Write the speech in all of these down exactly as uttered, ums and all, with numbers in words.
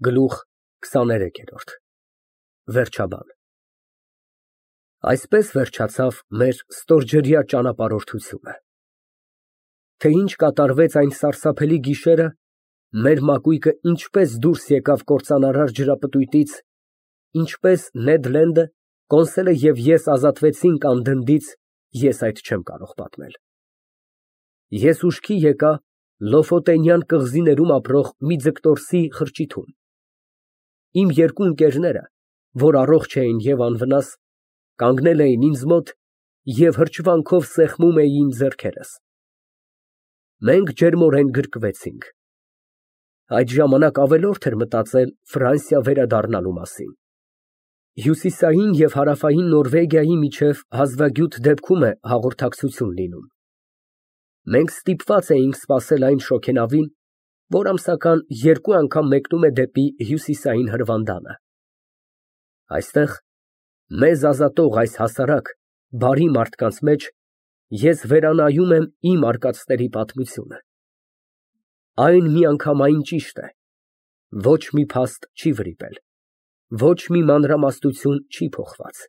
Գլուխ քսաներեք։ Վերջաբան Այսպես վերջացավ մեր ստորջրյա ճանապարհորդությունը, թե ինչ կատարվեց այն սարսափելի գիշերը, մեր մակույկը ինչպես դուրս եկավ կործանարար ջրապտույտից, ինչպես Նեդ Լենդը, Կոնսելը և ես ազատվեցինք անդնդից, ես այդ չեմ կարող պատմել։ Ես ուշքի եկա Լոֆոտենյան կղզիներում ապրող մի ձկտորսի խրճիթում։ Իմ երկու ընկերները, որ առողջ էին և անվնաս, կանգնել էին ինձ մոտ և հրճվանքով սեղմում էին ձեռքերս։ Մենք ջերմորեն գրկվեցինք։ Այդ ժամանակ ավելորդ էր մտածել Ֆրանսիա վերադառնալու մասին։ Հյուսիսային և հարավային Նորվեգիայի միջև հազվագյուտ դեպքում է հաղորդակցություն լինում։ Մենք ստիպված էինք սպասել այն շոգենավին, որ ամսական երկու անգամ մեկնում է դեպի հյուսիսային հրվանդանը։ Այստեղ, մեզ ազատող այս հասարակ, բարի մարդկանց մեջ, ես վերանայում եմ իմ արկածների պատմությունը։ Այն միանգամայն ճիշտ է, ոչ մի փաստ չի վրիպել, ոչ մի մանրամասնություն չի փոխված։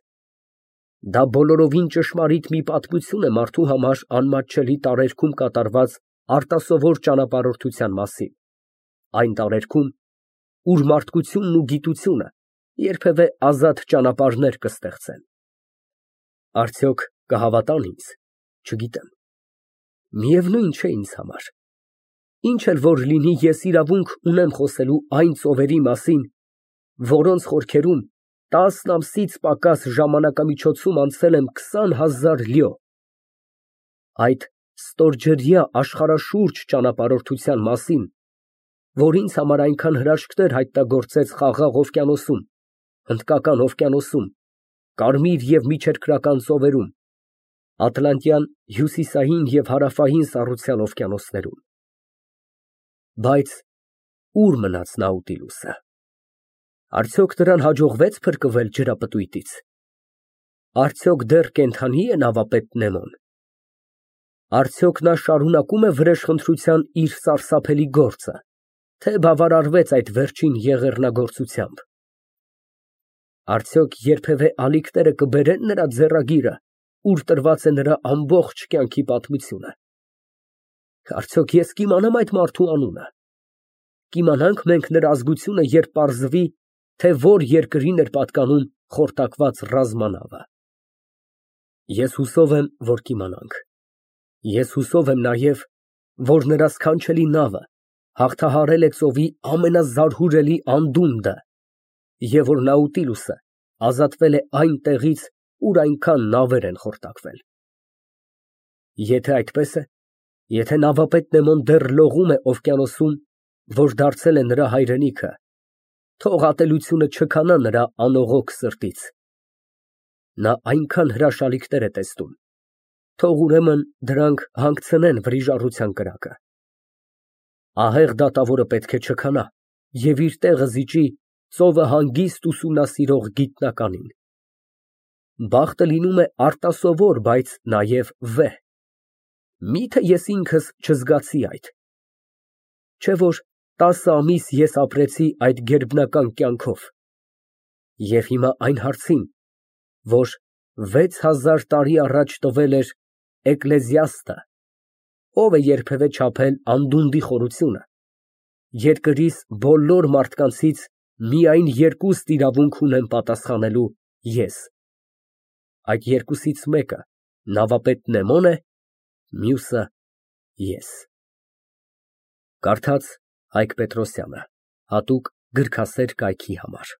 Դա բոլորովին ճշմարիտ մի պատմություն է մարդու համար անմատչելի տարերքում կատարված արտասովոր ճանապարհորդության մասին, այն տարերքում, ուր մարդկությունն ու գիտությունը երբևէ ազատ ճանապարհներ կստեղծեն։ Արդյոք կհավատան ինձ, չգիտեմ։ Միևնույն չէ ինձ համար։ Ինչ էլ որ լինի, ես իրավունք ունեմ խոսելու այն ծովերի մասին, որոնց խորքերում տասն ամսից պակաս ժամանակամիջոցում անցել եմ քսան հազար լյո, այդ ստորջրյա աշխարհաշուրջ ճանապարհորդության մասին, որ ինձ համար այնքան հրաշքներ հայտնագործեց Խաղաղ օվկիանոսում, Հնդկական օվկիանոսում, Կարմիր և Միջերկրական ծովերում, Ատլանտյան, Հյուսիսային և Հարավային Սառուցյալ օվկիանոսներում։ Բայց ո՞ւր մնաց Նաուտիլուսը։ Արդյոք նրան հաջողվե՞ց փրկվել ջրապտույտից։ Արդյոք դեռ կենդանի է նավապետ Նեմոն։ Արդյոք նա շարունակում է վրեժխնդրության իր սարսափելի գործը, թե բավարարվեց այդ վերջին եղեռնագործությամբ։ Արդյոք երբևէ ալիքները կբերեն նրա ձեռագիրը, ուր տրված է նրա ամբողջ կյանքի պատմությունը։ Արդյոք ես կիմանամ այդ մարդու անունը։ Կիմանանք մենք նրա ազգությունը, երբ պարզվի, թե որ երկրին էր պատկանում խորտակված ռազմանավը։ Ես հուսով եմ, որ կիմանանք։ Ես հուսով եմ նաև, որ նրա սքանչելի նավը հաղթահարել է ծովի ամենազարհուրելի անդունդը, և որ Նաուտիլուսը ազատվել է այն տեղից, ուր այնքան նավեր են խորտակվել։ Եթե այդպես է, եթե նավապետ Նեմոն դեռ լողում է օվկիանոսում, որ դարձել է նրա հայրենիքը, թող ատելությունը չքանա նրա անողոք սրտից։ Նա այնքան հրաշալիքներ է տեսնում, թող ուրեմն դրանք հանգցնեն վրիժառության կրակը։ Ահեղ դատավորը պետք է չքանա և իր տեղը զիջի ծովը հանգիստ ուսումնասիրող գիտնականին։ Բախտը լինում է արտասովոր, բայց նաև վեհ։ Մի՞թե ես ինքս չզգացի այդ։ Չէ՞ որ տասը ամիս ես ապրեցի այդ գերբնական կյանքով։ Եվ հիմա այն հարցին, որ վեց հազար տարի առաջ տվել էր Էկլեզիաստը, ո՞վ է երբևէ չափել անդունդի խորությունը, երկրիս բոլոր մարդկանցից միայն երկուստ իրավունք ունեմ պատասխանելու ես։ Այդ երկուսից մեկը նավապետ Նեմոն է, մյուսը՝ ես։ Կարդաց Հայկ Պետրոսյանը, հատուկ գրքասեր կայքի համար։